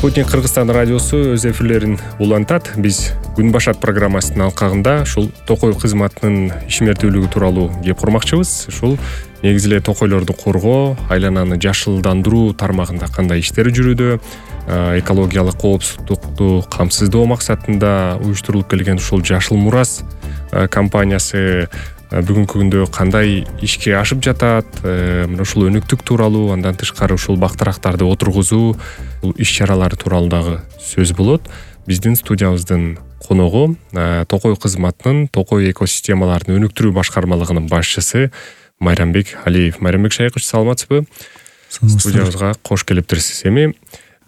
Спутник Кыргызстан радиосу өз эфирлерин улантат. Биз Күн башат программасынын алкагында ушул токой кызматынын ишмердүүлүгү тууралуу кеп курмакчыбыз. Ушул негизи эле токойлорду коргоо, айлананы жашылдандыруу тармагында кандай иштер жүрүүдө, экологиялык коопсуздукту камсыздоо максатында уюштурулуп келген ушул Жашыл Мурас компаниясы бүгүнкү күндө кандай ишке ашып жатат, мына ушул өнүктүк тууралуу, андан тышкары ушул бактырактарды отургузуу иш-чаралары тууралуу дагы сөз болот. Биздин студиябыздын коногу токой кызматынын токой экосистемаларын өнүктүрүү башкармалыгынын башчысы Майрамбек Алиев. Майрамбек Шайкович, саламатсызбы? Студиябызга кош келиптирсиз. Эми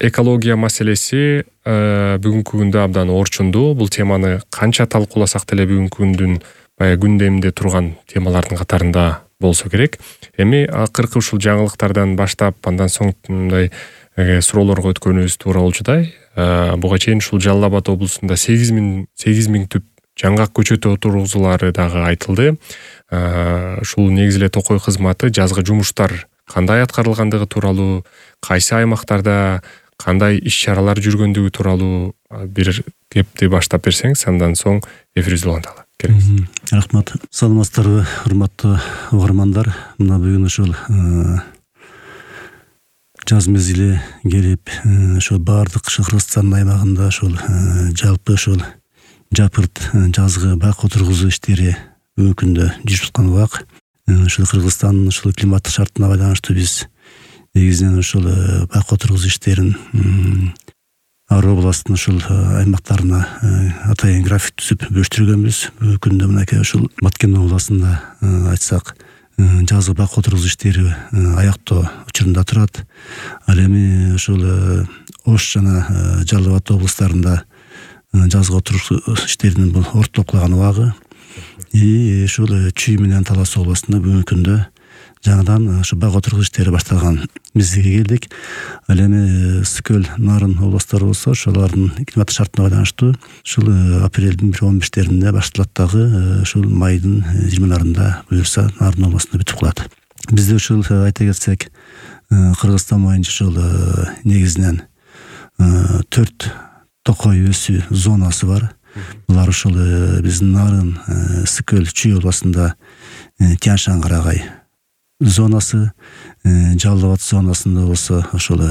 экология маселеси бүгүнкү күндө абдан орчундуу. Бул теманы канча талкууласак деле бүгүнкү күндүн күндеминде турган темалардын катарында болсо керек. Эми акыркы ушул жаңылыктардан баштап, андан соң мындай суроолорго өткөнүбүз туура болчудай. Буга чейин ушул Жалал Абад облусунда 8 миң түп жаңгак көчөт отургузуулары дагы айтылды. Ушул негизи эле токой кызматы жазгы жумуштар кандай аткарылгандыгы тууралуу, кайсы аймактарда кандай иш-чаралар жүргөндүгү тууралуу бир кепти баштап берсеңиз, андан соң эфирибизди уланталы. Рахмат. Саламатсыздарбы, урматтуу угармандар. Мына бүгүн ушул жаз мезгили келип, ошол баардык Кыргызстан аймагында ошол жалпы ошол жапырт жазгы бак отургузуу иштери бүгүнкү күндө жүрүп аткан убак. Ушул Кыргызстандын ушул климаттык шартына байланыштуу биз негизинен ушул бак отургузуу иштерин ар областтын ушул аймактарына атайын график түзүп бөлүштүргөнбүз. Бүгүнкү күндө мынакей ушул Баткен областында айтсак жазгы бак отургузуу иштери аяктоо учурунда турат. Ал эми ушул Ош жана Жалал Абад облустарында жазгы отургузуу иштеринин бул ортоклаган убагы. Ушул Чүй менен Талас областында бүгүнкү күндө жаңыдан ушу бак отургузуу иштери башталган мезгилге келдик. Ал эми Скөл, Нарын областары болсо, ошолордун климаттык шартына байланыштуу ушул апрелдин 1-15-леринде башталат дагы, ушул майдын 20-ларында буюрса Нарын областында бүтүп калат. Бизде ушул айта кетсек, Кыргызстан боюнча ушул негизинен 4 токой өсүү зонасы бар. Булар ушул биздин Нарын, Скөл, Чүй областында Тянь-Шань Карагай зонасы, Жалал Абад зонасында болсо ошол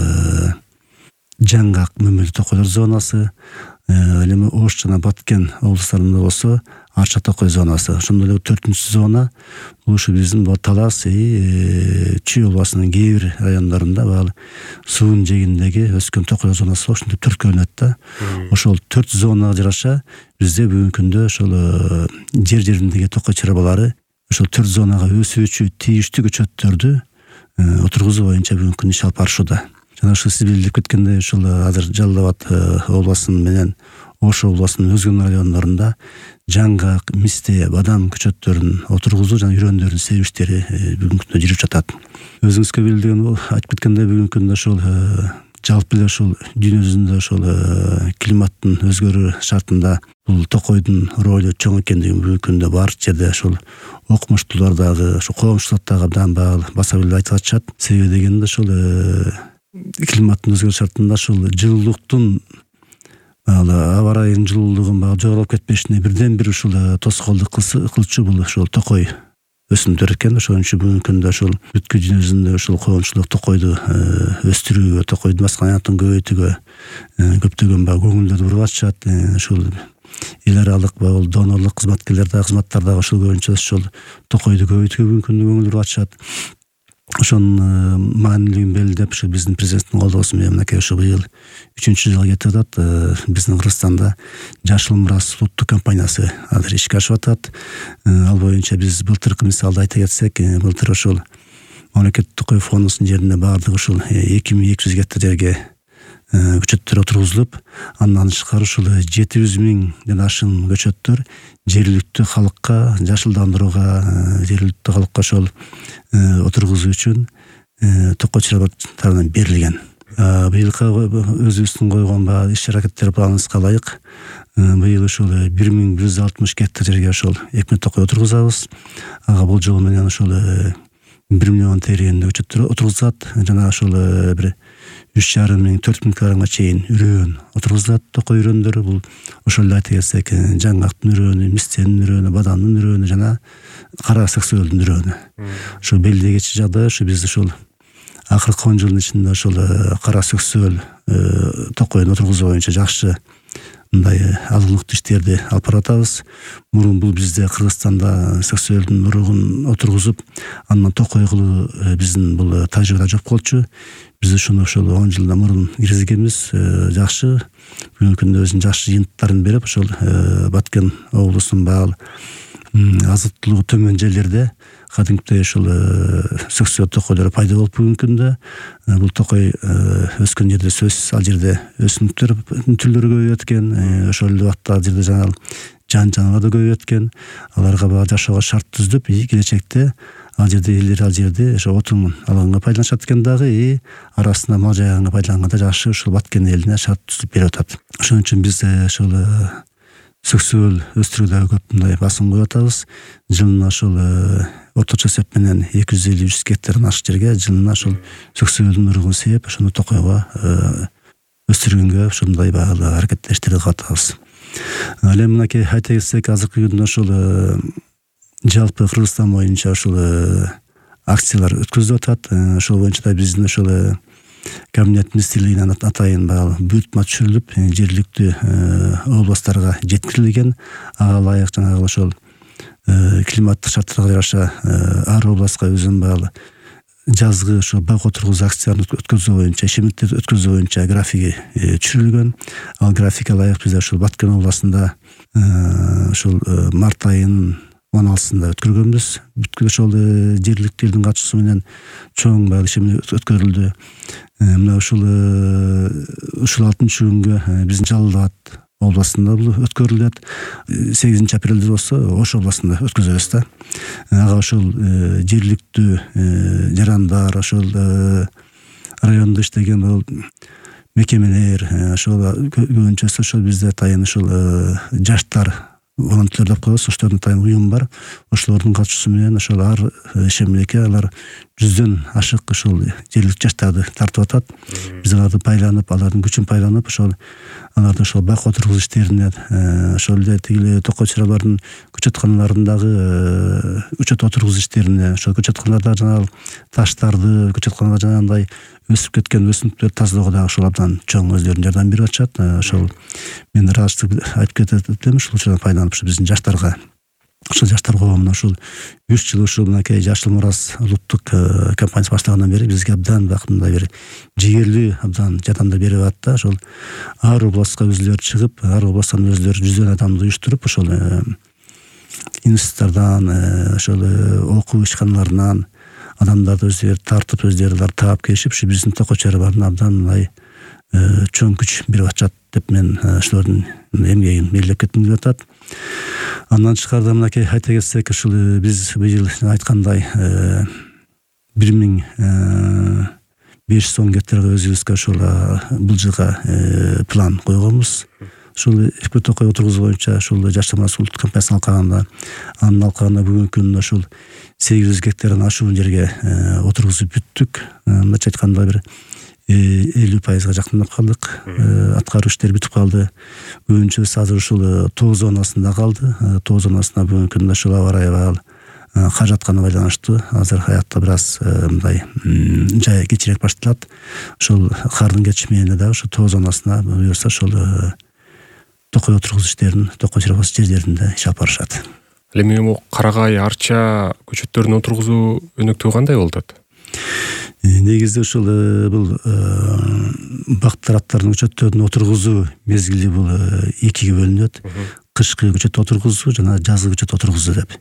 жаңгак мөмөлүү токойлор зонасы, ал эми Ош жана Баткен облустарында болсо Арча токой зонасы. Ошондой эле 4-үнчү зона бул ушу биздин Талас, Чүй областынын кээ бир райондорунда баалы суунун жээгиндеги өскөн токой зонасы ошентип төрткө бөлүнөт да. Ошол 4 зонага жараша бизде бүгүнкү күндө ошол жер-жериндеги токой чарбалары ошол 4 зонага өсүүчү тийиштүү көчөттөрдү отургузуу боюнча бүгүнкү күндө иш алып барышууда. Жана ушул сиз билип кеткендей, ушул азыр Жалал Абад областынын менен Ош областынын өзгөн райондорунда жаңгак, мисте, бадам көчөттөрүн отургузуу жана үрөндөрдүн себүү иштери бүгүнкү күндө жүрүп жатат. Өзүңүзгө билдирген айтып кеткендей, бүгүнкү күндө ушул жалпы эле ушул дүйнө жүзүндө ушул климаттын өзгөрүү шартында бул токойдун ролу чоң экендигин бүгүнкү күндө баардык жерде ушул окумуштуулар дагы, ушул коомчулук дагы абдан баса билип айтып атышат. Себеби дегенде ушул климаттын өзгөрүү шартында ушул жылуулуктун аба ырайынын жылуулугун жогорулуп кетпешине бирден бир ушул тоскоолдук кылчу бул ушул токой өсүмдөр экен. Ошон үчүн бүгүнкү күндө ушул бүткүл дүйнө жүзүндө ушул коомчулук токойду өстүрүүгө, токойдун баскан аянтын көбөйтүүгө көптөгөн көңүлдөрдү буруп атышат. Ушул эл аралык донорлук кызматкерлер дагы кызматтар дагы ушул боюнча ушул токойду көбөйтүүгө бүгүнкү күндө көңүл буруп атышат. Ошонун маанилүүлүгүн белгилеп ушул биздин президенттин колдоосу менен мынакей ушул быйыл 3-чү жылга кетип атат. Биздин Кыргызстанда Жашыл Мурас улуттук компаниясы азыр ишке ашып атат. Ал боюнча биз былтыркы мисалды айта кетсек, былтыр ушул мамлекеттик токой фондунун жерине баардык ушул 2200 гектар жерге көчөттөр отургузулуп, андан тышкары ушул 700 миңден ашык көчөттөр жергиликтүү халыкка жашылдандырууга, жергиликтүү халыкка ошол отургузуу үчүн токой чарбаларынан берилген. Быйылкы өзүбүздүн койгон иш-аракеттер планыбызга ылайык быйыл ушул 1160 гектар жерге ошол 2000 токой отургузабыз. Ага бул жол менен ошол 1 миллион тегерегинде көчөттөр отургузат. Жана ошол бир 3,5 миң 4 миң килограммга чейин үрөөн отургузулат. Токой үрөөндөр бул ошол эле айта кетсек, жаңгактын үрөөнү, мистенин үрөөнү, бадамдын үрөөнү жана кара саксөөлдүн үрөөнү. Ошо белдегечи жагдай ушу биз ушул акыркы 10 жылдын ичинде ошол кара саксөөл токойун отургузуу боюнча жакшы мындай алгылыктуу иштерди алып баратабыз. Мурун бул бизде Кыргызстанда саксөөлдүн уругун отургузуп, андан токой кылуу биздин бул тажрыйбада жок болчу. Биз ушуну ошол 10 жылдан мурун киргизгенбиз. Жакшы бүгүнкү күндө өзүнүн жакшы жыйынтыктарын берип, ошол Баткен облусунун баал азыктуулугу төмөн жерлерде кадимкидей ушул саксөөл токойлор пайда болуп бүгүнкү күндө. Бул токой өскөн жерде сөзсүз ал жерде өсүмдүктөр түрлөрү көбөйөт экен. Ошол эле убакта ал жерде жаңа жаныбар да көбөйөт экен. Аларга жашоого шарт түзүп, келечекте ал жерде ошо отун алганга пайдаланышат экен дагы, арасында мал жайганга пайдаланганда жакшы ушул Баткен элине шарт түзүп берип атат. Ошон үчүн биз ошол саксөөл өстүрүүдө көп мындай басым коюп атабыз. Жылына ошол орточо эсеп менен 250-300 гектардан ашык жерге жылына ошол саксөөлдүн уругун сээп, ошону токойго өстүргөнгө ушундай баалуу аракеттештерди кылып атабыз. Ал эми мынакей айта кетсек, азыркы күндө ошол жалпы Кыргызстан боюнча ошол акциялар өткөзүлүп атат. Ошол боюнча да биздин ошол Кабинет министрлигинен атайын буйртма түшүрүлүп, жергиликтүү областтарга жеткирилген. Ага ылайык жанагы ошол климаттык шарттарга жараша ар областка өзүнүн баалуу жазгы ошо бак отургузуу акцияларын өткөзүү боюнча, ишемдиктерди өткөзүү боюнча графиги түшүрүлгөн. Ал графикке ылайык биз ошол Баткен областында ошол март айынын 16-сында өткөргөнбүз. Бүткүл ошол жергиликтүү элдин катышуусу менен чоң баалуу ишемдик өткөрүлдү. Мына ушул 6-күнгө биздин Жалал Абад областында бул өткөрүлөт. 8-апрелде болсо Ош областында өткөзөбүз да. Ага ошол жергиликтүү жарандар, ошол райондо иштеген бул мекемелер, ошол көбүнчөсү ошол бизде атайын ошол жаштар волонтерлер деп коебуз, ошолордун атайын уюм бар. Ошолордун катышуусу менен ошол ар ишемлекке алар 100дөн ашык ошол жергиликтүү жаштарды тартып атат. Биз аларды байланып, алардын күчүн байланып, ошол аларды ошол бак отургузуу иштерине, ошол эле тигил токой чыралардын көчөтканаларындагы көчөт отургузуу иштерине, ошол көчөтканаларда жанагы таштарды, көчөтканаларда жанагындай өсүп кеткен өсүмдүктөрдү тазалоого дагы ошол абдан чоң өздөрүнүн жардам берип атышат. Ошол мен ыраазычылык айтып кетет элем, ушул учурдан пайдаланып ушу биздин жаштарга, ошол жаштар коомуна ушул 3 жыл ушул мынакей Жашыл Мурас улуттук компаниясы башталгандан бери бизге абдан мындай бир жигерлүү абдан жардамдар берип атат. Ошол ар областка өзүлөрү чыгып, ар областтан өзүлөрү 100дөн адамды уюштуруп, ошол институттардан, ошол окуу ишканаларынан адамдарды өздөрү тартып, өздөрү таап келишип, ушу биздин токой чарабарына абдан мындай чоң күч берип атышат деп мен ошолордун эмгегин белгилеп кетким келип атат. Андан тышкарыда мынакей айта кетсек, ушул биз быйыл айткандай 1510 гектарга өзүбүзгө ошол бул жылга план койгонбуз. Ушул эки токой отургузуу боюнча ушул Жашыл Мурас улуттук компаниясынын алкагында, анын алкагында бүгүнкү күндө ушул 800 гектардан ашуун жерге отургузуп бүттүк. Мындайча айтканда бир 50% жакындап калдык. Аткаруу иштери бүтүп калды. Көбүнчөсү азыр ушул тоо зонасында калды. Тоо зонасына бүгүнкү күндө ушул аба ырайы баал кар жатканы байланыштуу азыр аякта бир аз мындай жай кечирээк башталат. Ошол кардын кетиши дагы ошол тоо зонасына буюрса ошол токой отургузуу иштерин токой чарабасы жерлеринде иш алып барышат. Ал эми карагай, арча көчөттөрүн отургузуу өнөктүгү кандай болуп атат? Негизде ушул бул бак тараптардын көчөттөрүн отургузуу мезгили бул экиге бөлүнөт. Кышкы көчөт отургузуу жана жазгы көчөт отургузуу деп.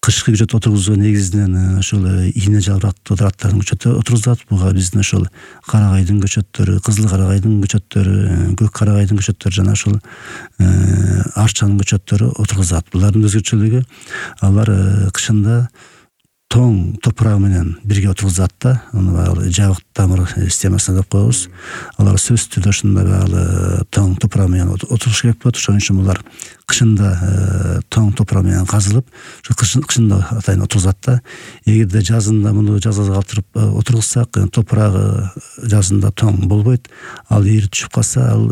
Кышкы көчөт отургузуу негизинен ошол ийне жалбырактуу тараптардын көчөтү отургузулат. Буга биздин ошол карагайдын көчөттөрү, кызыл карагайдын көчөттөрү, көк карагайдын көчөттөрү жана ошол арчанын көчөттөрү отургузулат. Булардын өзгөчөлүгү алар кышында тоң топурагы менен бирге отургузат да, аны баягы жабык тамыр системасына деп коебуз. Алар сөзсүз түрдө ушундай баягы тоң топурак менен отуруш керек болот. Ошон үчүн булар кышында тоң топурак менен казылып, кышында атайын отургузат да. Эгерде жазында муну жазга калтырып отургузсак, топурагы жазында тоң болбойт. Ал ийри түшүп калса, ал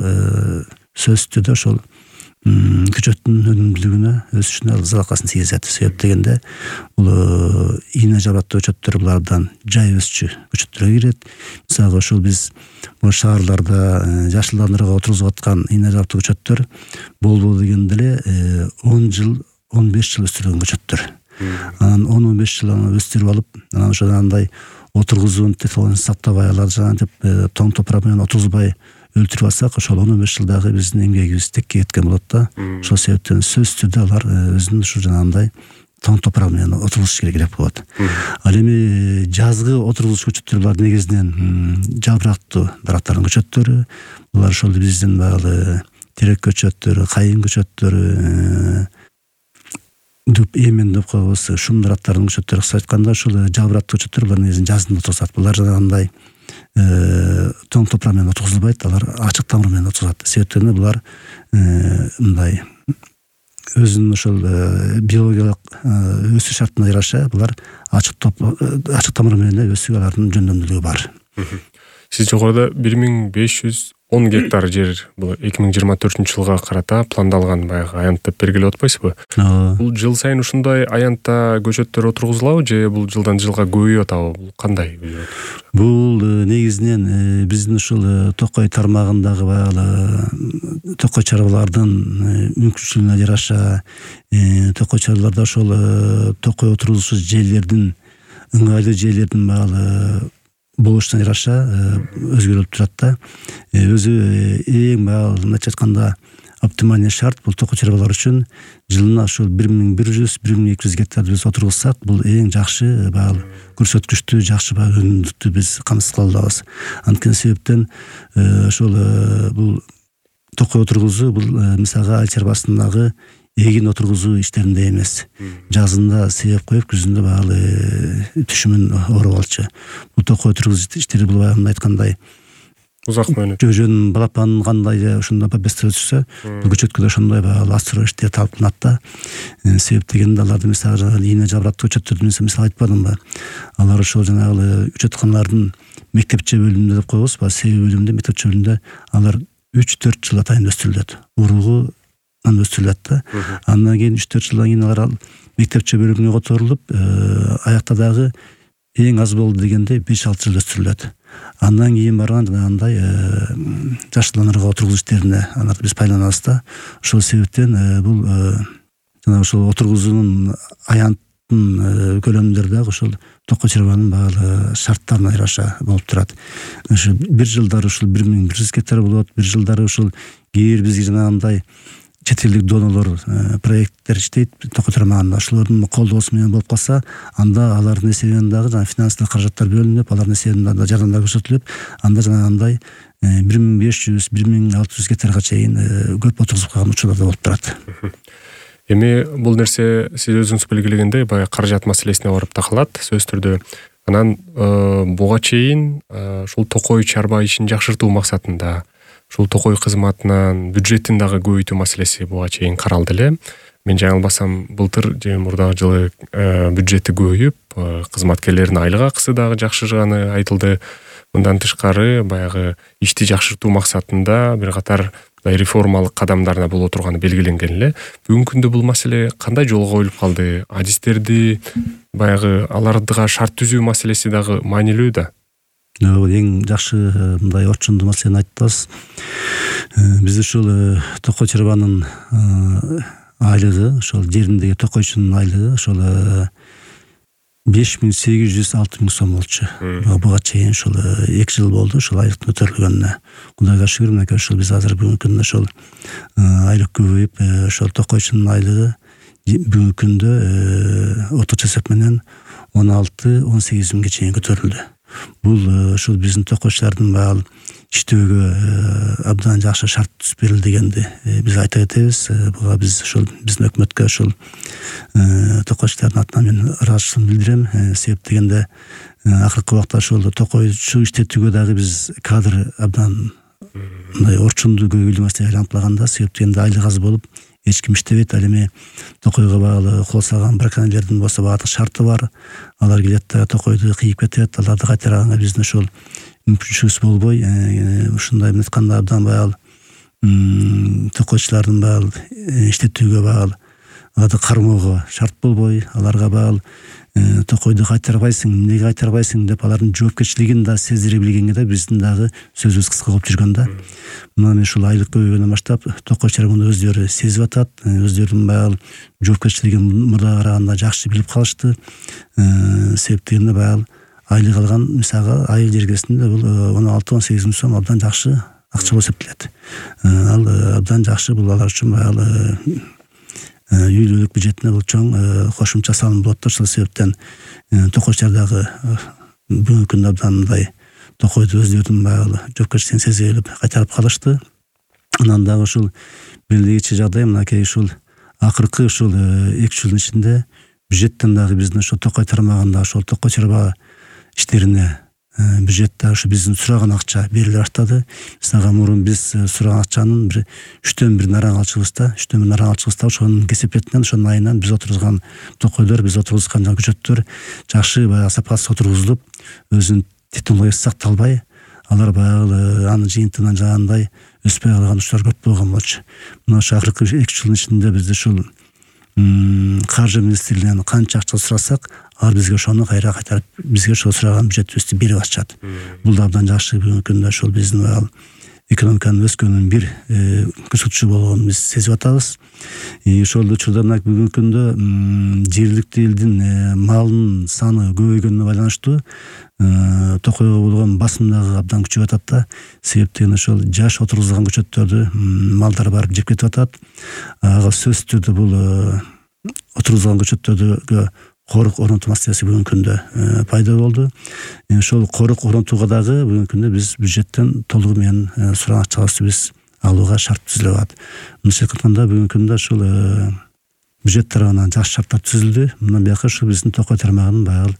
сөзсүз түрдө ошол көчөттүн өнүмдүүлүгүнө, өсүшүнө залалкасын тийгизет. Себеп дегенде бул ийне жабыраттуу көчөттөр булардан жай өсчү көчөттөргө кирет. Мисалга ошол биз бул шаарларда жашылдандырууга отургузуп аткан ийне жабыраттуу көчөттөр болбоду дегенде эле 10 жыл, 15 жыл өстүрүлгөн көчөттөр. Анан 10-15 жыл аны өстүрүп алып, анан ошондо андай отургузуунун технологиясын сактабай, алар жанагынтип тоң топурак менен отургузбай өлтүрүп алсак, ошол 15 жылдагы биздин эмгегибиз текке кеткен болот да. Ошол себептен сөзсүз түрдө алар өзүнүн ушу жанагындай тоң топурак менен отургузуш керек болот. Ал эми жазгы отургузуш көчөттөр булар негизинен жапырактуу дарактардын көчөттөрү. Булар ошол биздин баягы терек көчөттөрү, кайын көчөттөрү, дүп эмен деп коебуз, шум дарактардын көчөттөрү. Кыска айтканда ошол жапырактуу көчөттөр булар негизинен жазында отургузат. Булар жанагындай тоң топурак менен отургузулбайт, алар ачык тамыр менен отургузат. Себептен булар мындай өзүнүн ошол биологиялык өсүш шартына жараша булар ачык тамыр менен өсүп, алардын жөндөмдүүлүгү бар. Сиз жогоруда 1510 гектар жер бул 2024 жылга карата пландалган баягы аянт деп белгилеп атпайсызбы? Бул жыл сайын ушундай аянтта көчөттөр отургузулабы же бул жылдан жылга көбөйүп атабы? Бул кандай? Бул негизинен биздин ушул токой тармагындагы баягы токой чарбалардын мүмкүнчүлүгүнө жараша, токой чарбаларда ошол токой отургузуш жерлердин, ыңгайлуу жерлердин баягы болушуна жараша өзгөрүлүп турат да. Өзү эң баягы мындайча айтканда оптимальный шарт бул токой чарбалар үчүн жылына ошол 1100-1200 гектарды биз отургузсак, бул эң жакшы баягы көрсөткүчтүү, жакшы баягы өнүмдүктү биз камсыз кыла алабыз. Анткени себептен ошол бул токой отургузуу бул мисалга ай чарбасындагы эгин отургузуу иштеринде эмес. Жазында себеп коюп, күзүндө баягы түшүмүн ооруп алчу. Бул токой отургузуу иштери бул баягы айткандай узак мөөнөт. Жөн балапан кандай ошондой бестер өсүрсө, бул көчөткө да ошондой баягы астыроо иштери талаптанат да. Себеп дегенде аларды мисалга ийне жабыраттуу көчөттөрдү мисал айтпадымбы? Алар ошол жанагы көчөтканалардын мектепче бөлүмүндө деп коебуз, себеп бөлүмүндө, мектепче бөлүмүндө алар 3-4 жыл атайын өстүрүлөт. Уругу өстүрүлөт да. Андан кийин 3-4 жылдан кийин алар мектепче бөлүмүнө которулуп, аякта дагы эң аз болду дегенде 5-6 жыл өстүрүлөт. Андан кийин барган жанагындай жашылдандырууга отургузуу иштерине аларды биз пайдаланабыз да. Ошол себептен бул жана ошол отургузуунун аянттын көлөмдөрү дагы ошол токой чарбанын баягы шарттарына жараша болуп турат. Ошо бир жылдары ушул 1100 гектар болот, бир жылдары ушул кээ бир бизге жанагындай чет элдик донолор проекттер иштейт токой тармагында. Ошолордун колдоосу менен болуп калса, анда алардын эсебинен дагы жана финансылык каражаттар бөлүнүп, алардын эсебинен дагы жардамдар көрсөтүлүп, анда жанагындай 1500-1600 гектарга чейин көп отургузуп калган учурлар да болуп турат. Эми бул нерсе сиз өзүңүз белгилегендей баягы каражат маселесине барып такалат сөзсүз түрдө. Анан буга чейин ушул токой чарба ишин жакшыртуу максатында ушул токой кызматынын бюджетин дагы көбөйтүү маселеси буга чейин каралды эле. Мен жаңылбасам, былтыр же мурдагы жылы бюджети көбөйүп, кызматкерлердин айлык акысы дагы жакшырганы айтылды. Мындан тышкары баягы ишти жакшыртуу максатында бир катар реформалык кадамдарына боло турганы белгиленген эле. Бүгүнкү күндө бул маселе кандай жолго коюлуп калды? Адистерди баягы алардыга шарт түзүү маселеси дагы маанилүү да. Эң жакшы мындай орчундуу маселени айттыңыз. Биз ушул токой чарбанын айлыгы, ошол жериндеги токойчунун айлыгы ошол 5800-6000 сом болчу. Буга чейин ушул 2 жыл болду ушул айлыктын көтөрүлгөнүнө. Кудайга шүгүр, мынакей ушул биз азыр бүгүнкү күндө ушул айлык көбөйүп, ошол токойчунун айлыгы бүгүнкү күндө орточо эсеп менен 16-18 миңге чейин көтөрүлдү. Бул ушул биздин токойчулардын баягы иштөөгө абдан жакшы шарт түзүп берилди дегенди биз айта кетебиз. Буга биз ошол биздин өкмөткө ошол токойчулардын атынан мен ыраазычылыгымды билдирем. Себеп дегенде акыркы убакта ошол токойчу иштетүүгө дагы биз кадр абдан мындай орчундуу көйгөйлүү маселеге айланып. Себеп дегенде айлык аз болуп эч ким иштебейт. Ал эми токойго багылуу кол салган браконьерлердин болсо баардык шарты бар. Алар келет да токойду кыйып кетет. Аларды кайтараганга биздин ошол мүмкүнчүлүгүбүз болбой, ушундай эмне айтканда абдан баягы токойчулардын баягы иштетүүгө баягы аларды кармоого шарт болбой, аларга баягы токойду кайтарбайсың, эмнеге кайтарбайсың деп алардын жоопкерчилигин да сездире билгенге да биздин дагы сөзүбүз кыска болуп жүргөн да. Мына мен ушул айлык көбөйгөндөн баштап токойчулар муну өздөрү сезип атат, өздөрүнүн баягы жоопкерчилигин мурда караганда жакшы билип калышты. Себеп дегенде баягы айлык алган мисалга ай жергесинде бул 16-18 миң сом абдан жакшы акча болуп эсептелет. Ал абдан жакшы, бул алар үчүн баягы үйлүүлүк бюджетине бул чоң кошумча салым болот. Ошол себептен токойчулар дагы бүгүнкү күндө абдан мындай токойду өздөрүнүн баягы жоопкерчилигин сезе билип кайтарып калышты. Анан дагы ушул белгилегичи жагдай мынакей ушул акыркы ушул 2 жылдын ичинде бюджеттен дагы биздин ошол токой тармагында ошол токой чарба иштерине бюджетте ушу биздин сураган акча бериле баштады. Мисалга мурун биз сураган акчанын 1/3 наран алчубызда, 1/3 наран алчубызда ошонун кесепетинен, ошонун айынан биз отургузган токойлор, биз отургузган көчөттөр жакшы баягы сапасыз отургузулуп, өзүнүн технологиясы сакталбай, алар баягы анын жыйынтыгынан жагандай өспөй калган учурлар көп болгон болчу. Мына ошо акыркы 2 жылдын ичинде биз ушул каржы министрлигинен канча акча сурасак, алар бизге ошону кайра кайтарып, бизге ошол сураган бюджетибизди берип атышат. Бул да абдан жакшы. Бүгүнкү күндө ошол биздин экономиканын өскөнүнүн бир көрсөтүчү болгонун биз сезип атабыз. Ошол учурда мына бүгүнкү күндө жергиликтүү элдин малынын саны көбөйгөнүнө байланыштуу токойго болгон басым дагы абдан күчөп атат да. Себеп деген ошол жаш отургузулган көчөттөрдү малдар барып жеп кетип атат. Ага сөзсүз түрдө бул отургузулган көчөттөргө корuk орнотуу маселеси бүгүнкү күндө пайда болду. Ошол корuk орнотууга дагы бүгүнкү күндө биз бюджеттен толугу менен сураган акчабызды биз алууга шарт түзүлүп атат. Мындайча айтканда бүгүнкү күндө ушул бюджет тарабынан жакшы шарттар түзүлдү. Мындан бияка ушул биздин токой тармагынын баягы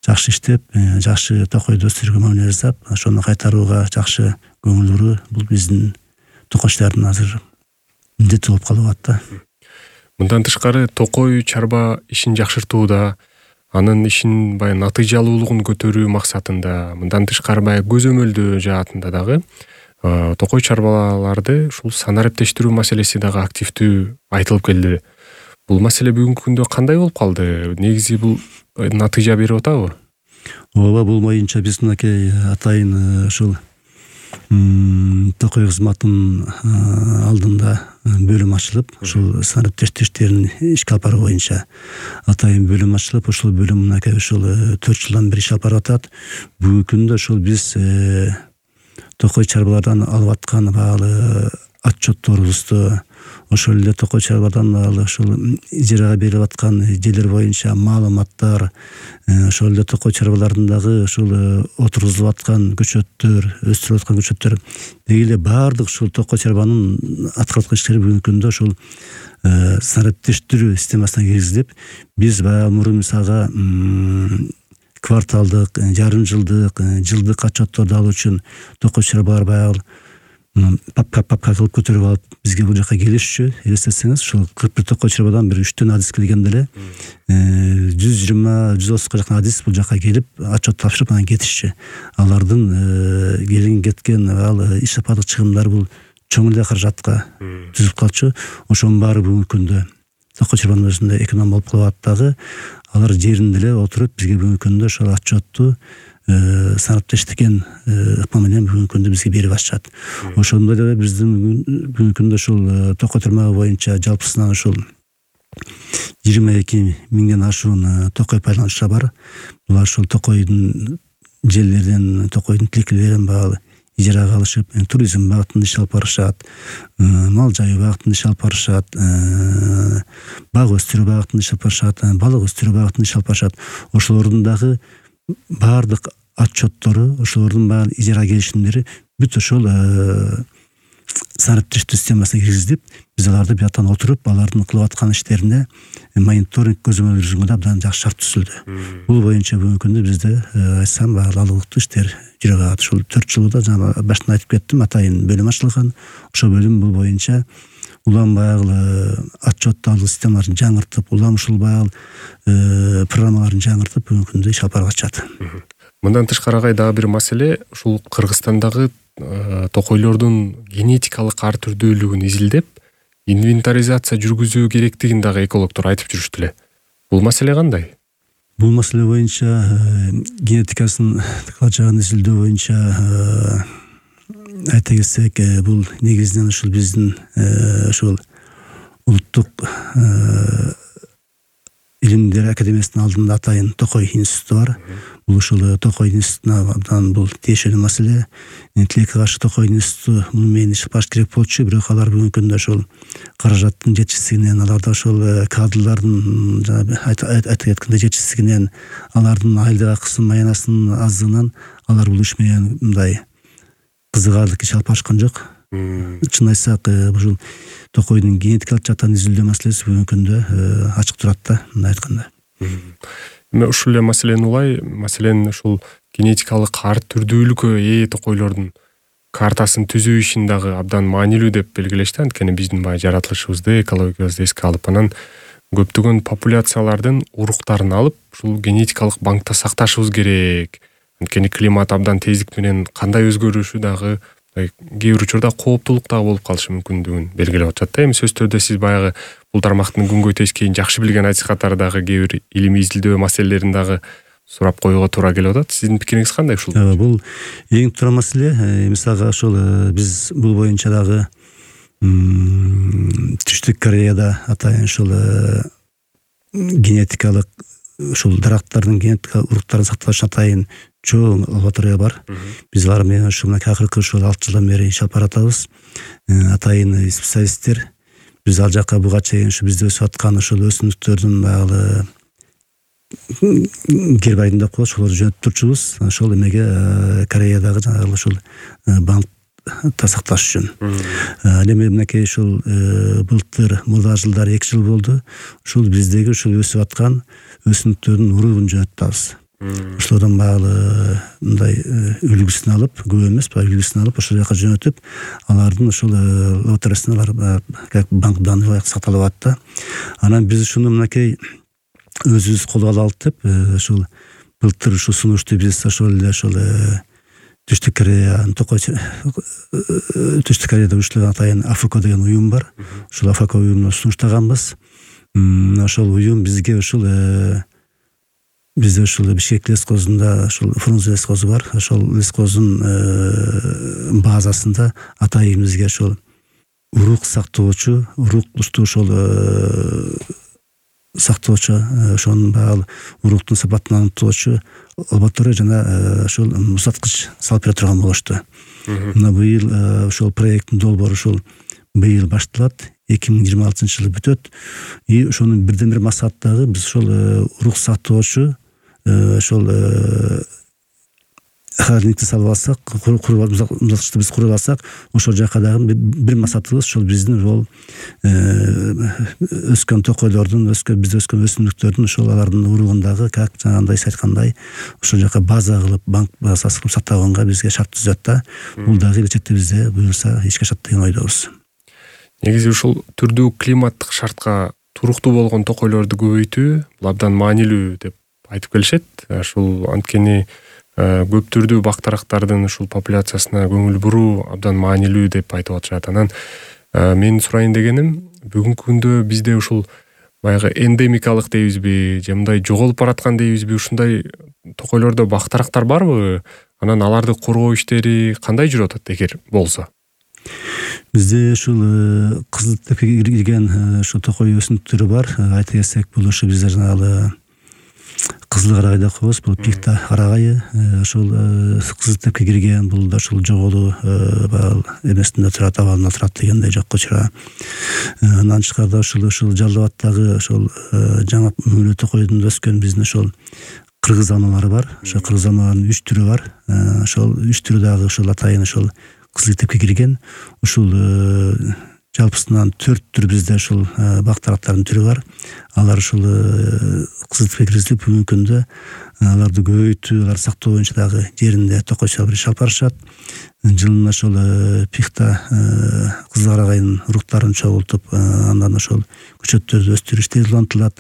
жакшы иштеп, жакшы токойду өстүрүүгө мамиле жасап, ошону кайтарууга жакшы көңүл буруу бул биздин токойчулардын азыр милдети болуп калып атат да. Мындан тышкары токой чарба ишин жакшыртууда, анын ишин баягы натыйжалуулугун көтөрүү максатында, мындан тышкары баягы көзөмөлдөө жаатында дагы токой чарбаларды ушул санариптештирүү маселеси дагы активдүү айтылып келди. Бул маселе бүгүнкү күндө кандай болуп калды? Негизи бул натыйжа берип атабы? Ооба, бул боюнча биз мынакей атайын ушул токой кызматынын алдында бөлүм ачылып, ушул санариптештирүү иштерин ишке алып баруу боюнча атайын бөлүм ачылып, ушул бөлүм мынакей ушул 4 жылдан бери иш алып барып атат. Бүгүнкү күндө ушул биз токой чарбалардан алып аткан баягы отчетторубузду, ошол эле токой чарбалардан ушул ижарага берилип аткан жерлер боюнча маалыматтар, ошол эле токой чарбалардын дагы ушул отургузулуп аткан көчөттөр, өстүрүлүп аткан көчөттөр деги эле баардык ушул токой чарбанын аткарып аткан иштери бүгүнкү күндө ушул санариптештирүү системасына киргизилип, биз баягы мурун мисалга кварталдык, жарым жылдык, жылдык отчетторду алуу үчүн токой чарбалар баягы папка кылып көтөрүп алып бизге бул жака келишчү. Элестетсеңиз, ушул 41 токой чарбадан бир 3 адис келгенде эле 120-130га жакын адис бул жака келип отчет тапшырып анан кетишчү. Алардын келген кеткен иш сапардык чыгымдары бул чоң эле каражатка түзүлүп калчу. Ошонун баары бүгүнкү күндө токой чарбанын өзүндө эконом болуп калат дагы. Алар жеринде эле отуруп бизге бүгүнкү күндө ошол отчетту санариптештиген ыкма менен бүгүнкү күндө бизге берип атышат. Ошондой эле биздин бүгүнкү күндө ушул токой тармагы боюнча жалпысынан ушул 22 миңден ашуун токой пайдалануучулар бар. Булар ушул токойдун жерлеринен, токойдун тилекелерин багалы ижарага алышып, туризм багытында иш алып барышат, мал жайуу багытында иш алып барышат, бак өстүрүү багытында иш алып барышат, балык өстүрүү багытында иш алып барышат. Ошолордун дагы баардык отчеттору, ошолордун баары ижара келишимдери бүт ошол санаптештүү системасына киргизилип, биз аларды бияктан отуруп, алардын кылып аткан иштерине мониторинг көзөмөл жүргүзгөнгө абдан жакшы шарт түзүлдү. Бул боюнча бүгүнкү күндө бизде айтсам баалыктуу иштер жүрүп атат. Ушул 4 жылда жана башында айтып кеттим, атайын бөлүм ачылган. Ошол бөлүм бул боюнча улам баягы отчет алуу системаларын жаңыртып, улам ушул баягы программаларын жаңыртып бүгүнкү күндө иш алып барып атышат. Мындан тышкары дагы бир маселе, ушул Кыргызстандагы токойлордун генетикалык ар түрдүүлүгүн изилдеп, инвентаризация жүргүзүү керектигин дагы экологдор айтып жүрүштү эле. Бул маселе кандай? Бул маселе боюнча генетикасын жагын изилдөө боюнча айта кетсек, бул негизинен ушул биздин ушул улуттук илимдер академиясынын алдында атайын Токой институту бар. Бул ушул Токой институтуна абдан бул тиешелүү маселе. Тилекке каршы Токой институту муну менен иш баш керек болчу, бирок алар бүгүнкү күндө ошол каражаттын жетишсиздигинен, аларда ошол кадрлардын айта кеткендей жетишсиздигинен, алардын айлык акысын, маянасынын аздыгынан алар бул иш менен мындай кызыгаарлык иш алып барышкан жок. Чын айтсак, ушул Токойдун генетикалык жактан изилдөө маселеси бүгүнкү күндө ачык турат да, мындай айтканда. Эми ушул эле маселени улай, маселен ушул генетикалык ар түрдүүлүккө ээ токойлордун картасын түзүү ишин дагы абдан маанилүү деп белгилешти. Анткени биздин баягы жаратылышыбызды, экологиябызды эске алып, анан көптөгөн популяциялардын уруктарын алып, ушул генетикалык банкта сакташыбыз керек. Анткени климат абдан тездик менен кандай өзгөрүшү дагы кээ бир учурда кооптулук дагы болуп калышы мүмкүндүгүн белгилеп атат да. Эми сөз түрдө сиз баягы бул тармактын күнгөй тескейин жакшы билген айтыш катары дагы кээ бир илимий изилдөө маселелерин дагы сурап коюуга туура келип атат. Сиздин пикириңиз кандай ушул? Бул эң туура маселе. Мисалга ошол биз бул боюнча дагы Түштүк Кореяда атайын ушул генетикалык ушул дарактардын генетикалык уруктарын сакташ атайын чоң лаборатория бар. Биз алар менен ушул акыркы ушул 6 жылдан бери иш алып баратабыз. Атайын специалисттер биз ал жакка буга чейин ушу бизде өсүп аткан ушул өсүмдүктөрдүн баягы гербарийин деп коебуз, ошолорду жөнөтүп турчубуз. Ошол эмеге Кореядагы жанагы ушул банкта сакташ үчүн. Эми мынакей ушул былтыр мурда жылдары 2 жыл болду. Ушул биздеги ушул өсүп аткан өсүмдүктөрдүн уругун жөнөтүп атабыз. Ошолордон баары мындай үлгүсүн алып, көп эмес, үлгүсүн алып ошол жака жөнөтүп, алардын ошол лабораториясында алар как банк данный сакталып атат да. Анан биз ушуну мынакей өзүбүз колго алалык деп, ушул былтыр ушул сунушту биз ошол эле ошол Түштүк Корея, Түштүк Кореяда уюштурган атайын АФК деген уюм бар. Ушул АФК уюмуна сунуштаганбыз. Ошол уюм бизге ушул Бизде ушул Бишкек лескозунда ушул Фрунзе лескозу бар. Ошол лескоздун базасында атайын бизге ошол урук сактоочу, урукту ошол сактоочу, ошонун баары уруктун сапатын аныктоочу лаборатория жана ошол музаткыч салып бере турган болушту. Мына быйыл ошол проекттин долбоору ушул быйыл башталат, 2026 жылы бүтөт. И ошонун бирден бир максаты дагы биз ошол урук сактоочу ошол холодильникти салып алсак, музаткычты биз куруп алсак, ошол жака дагы бир максатыбыз ошол биздин ошол өскөн токойлордун, бизде өскөн өсүмдүктөрдүн ошол алардын уругундагы как жанагындай айткандай ошол жака база кылып, банк базасы кылып сактаганга бизге шарт түзөт да. Бул дагы келечекте бизде буюрса ишке ашат деген ойдобуз. Негизи ушул түрдүү климаттык шартка туруктуу болгон токойлорду көбөйтүү бул абдан маанилүү деп айтып келишет. Ушул анткени көп түрдүү бактарактардын ушул популяциясына көңүл буруу абдан маанилүү деп айтып атышат. Анан мен сурайын дегеним, бүгүнкү күндө бизде ушул баягы эндемикалык дейбизби, же мындай жоголуп бараткан дейбизби, ушундай токойлордо бактарактар барбы? Анан аларды коргоо иштери кандай жүрүп атат эгер болсо? Бизде ушул кызыл тепкеге кирген ушул токой өсүмдүктөрү бар. Айта кетсек, бул ушу бизде жанагы кызыл карагай деп коебуз, бул пикта карагайы, ошол кызыл тепке кирген, бул да ушул жоголуу эмесинде турат, абалында турат дегендей жокко чыра. Андан тышкарыда ушул Жалал Абаддагы ошол жаңа мөөлө токойдун өскөн биздин ошол кыргыз алмалары бар. Ошо кыргыз алмаларынын 3 түрү бар. Ошол 3 түрү дагы ошол атайын ошол кызыл китепке кирген. Ушул жалпысынан 4 түр бизде ушул бак тараптардын түрү бар. Алар ушул кызыл китепке киргизилип бүгүнкү күндө аларды көбөйтүү, аларды сактоо боюнча дагы жеринде токойчулар бир иш алып барышат. Жылына ошол пихта кызыл карагайдын уруктарын чогултуп, андан ошол көчөттөрдү өстүрүү иштери улантылат.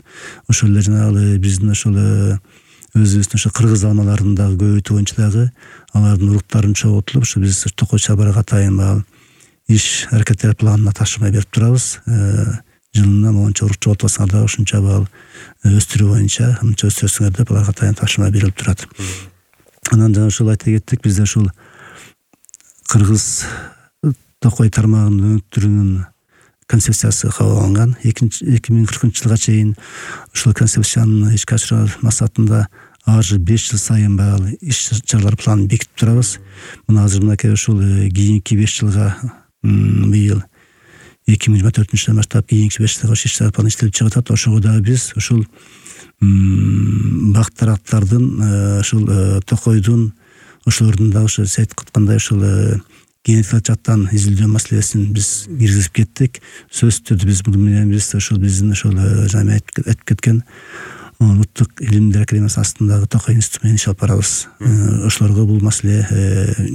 Ошол эле жанагы биздин ошол өзүбүздүн ошо кыргыз алмаларын дагы көбөйтүү боюнча дагы алардын уруктарын чогултулуп, ошо биз токой чабарга атайын багыл иш аракеттер планына ташымай берип турабыз. Жылына монча урук чогултсаңар дагы ушунча багыл өстүрүү боюнча мынча өстүрсөңөр деп аларга атайын ташыма берилип турат. Анан жана ушул айта кеттик, бизде ушул кыргыз токой тармагынын өнүктүрүүнүн концепциясы кабыл алынган. 2040-жылга чейин ушул концепцияны ишке ашыруу максатында ар жыл 5 жыл сайын багыл иш чаралар планын бекитип турабыз. Мына азыр мынакей ушул кийинки 5 жылга быйыл 2024-жылдан баштап кийинки 5 жылга иш чаралар планы иштелип чыгып атат. Ошого дагы биз ушул бак тараптардын ушул токойдун ошолордун дагы ошо сет кыткандай ушул генетикалык жактан изилдөө маселесин биз киргизип кеттик. Сөзсүз түрдө биз муну менен ошол биздин ошол жана айтып кеткен улуттук илимдер академиясынын астындагы токой институту менен иш алып барабыз. Ошолорго бул маселе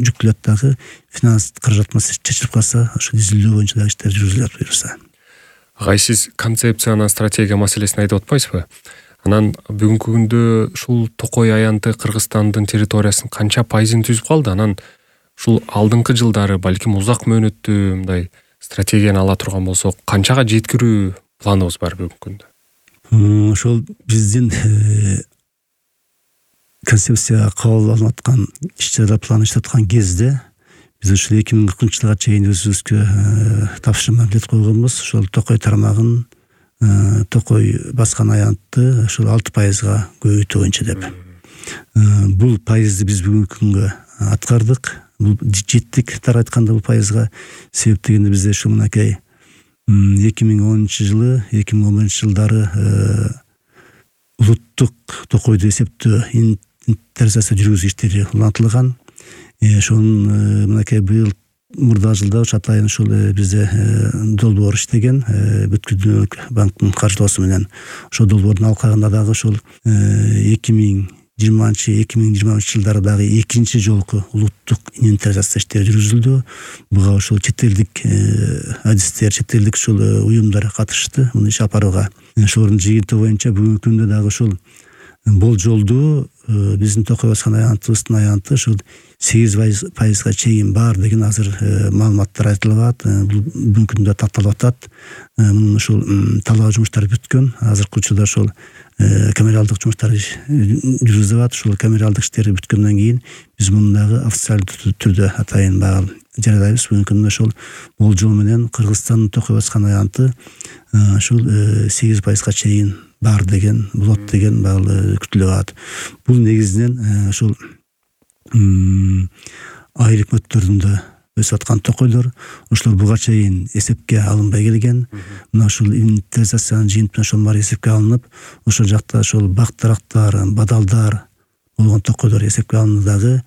жүктөлөт дагы, финанс каражат маселеси чечилип калса, ошол изилдөө боюнча дагы иштер жүргүзүлөт буюрса. Агай, сиз концепция анан стратегия маселесин айтып атпайсызбы? Анан бүгүнкү күндө ушул токой аянты Кыргызстандын территориясынын канча пайызын түзүп калды? Анан ушул алдыңкы жылдары балким узак мөөнөттүү мындай стратегияны ала турган болсок, канчага жеткирүү планыбыз бар бүгүнкү күндө? Ошол биздин концепция кабыл алынып аткан иш чаралар планы иштеп аткан кезде биз ушул 2040-жылга чейин өзүбүзгө тапшырма берип койгонбуз. Ошол токой тармагын токой баскан аянтты ошол 6%га көбөйтүү боюнча деп. Бул пайызды биз бүгүнкү күнгө аткардык. Бул жеттик тар айтканда бул пайызга. Себеп дегенде бизде ушул мынакей 2010-жылы, 2011-жылдары улуттук токойду эсептөө интеризация жүргүзүү иштери улантылган. Ошонун мынакей быйыл мурда жылда атайын ушул бизде долбоор иштеген Бүткүл дүйнөлүк банктын каржылоосу менен. Ошол долбоордун алкагында дагы ушул 2020-2023-жылдары дагы экинчи жолку улуттук инвентаризация иштери жүргүзүлдү. Буга ошол чет элдик адистер, чет элдик ушул уюмдар катышты муну иш алып барууга. Ошолордун жыйынтыгы боюнча бүгүнкү күндө дагы ушул болжолдуу биздин токой баскан аянтыбыздын аянты ушул 8%га чейин бар деген азыр маалыматтар айтылып атат. Бүгүнкү күндө такталып атат. Мунун ушул талаа жумуштары бүткөн. Азыркы учурда ошол камералдык жумуштар жүргүзүлүп атат. Ушул камералдык иштери бүткөндөн кийин биз муну дагы официалдуу түрдө атайын багыл жарыялайбыз. Бүгүнкү күндө ошол болжол менен Кыргызстандын токой баскан аянты ушул 8%га чейин бар деген, болот деген багыл күтүлүп атат. Бул негизинен ушул айыл өкмөттөрүндө өсүп аткан токойлор, ошолор буга чейин эсепке алынбай келген. Мына ушул инвентаризациянын жыйынтыгы ошол баары эсепке алынып, ошол жакта ошол бак тарактар, бадалдар болгон токойлор эсепке алынды дагы.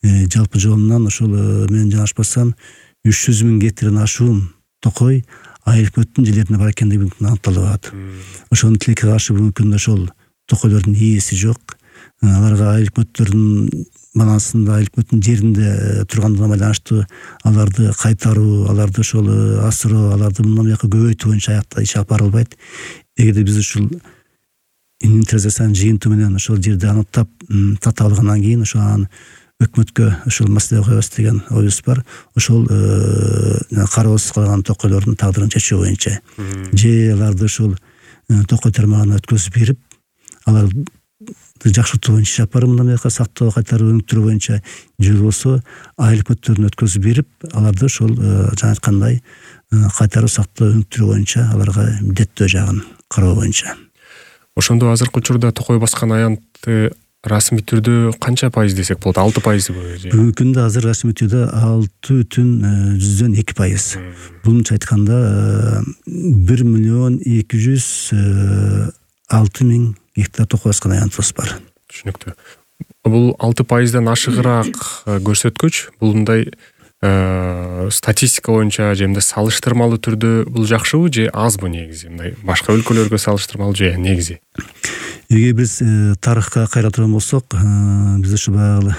Жалпы жолунан ошол мен жанашпасам 300 000 гектардан ашуун токой айыл өкмөттүн жерлерине бар экендиги аныкталып атат. Ошонун тилекке каршы бүгүнкү күндө ошол токойлордун ээси жок. Аларга айыл өкмөттөрдүн манасында, айыл өкмөттүн жеринде тургандыгына байланыштуу аларды кайтаруу, аларды ошол асыроо, аларды мындан бияка көбөйтүү боюнча аякта иш алып барылбайт. Эгерде биз ушул инвентаризациянын жыйынтыгы менен ошол жерди аныктап тата алгандан кийин ошол анан өкмөткө ошол маселе коебуз деген оюбуз бар. Ошол кароосуз калган токойлордун тагдырын чечүү боюнча же аларды ошол токой тармагына өткөзүп берип, аларды жакшыртуу боюнча иш алып баруу, мындан бияка сактоо, кайтаруу, өнүктүрүү боюнча же болбосо айыл өкмөттөрүнө өткөзүп берип, аларды ошол жана айткандай кайтаруу, сактоо, өнүктүрүү боюнча аларга милдеттөө жагын кароо боюнча. Ошондо азыркы учурда токой баскан аянтты расмий түрдө канча пайыз десек болот? 6%? Бүгүнкү күндө азыр расмий түрдө 6,2%. Булунча айтканда 1,206,000 гектар токой баскан аянтыбыз бар. Түшүнүктүү. Бул 6%дан ашыгыраак көрсөткүч. Бул мындай статистика боюнча же мындай салыштырмалуу түрдө бул жакшыбы же азбы негизи? Мындай башка өлкөлөргө салыштырмалуу же негизи? Эгер биз тарыхка кайра турган болсок, биз ушу баягы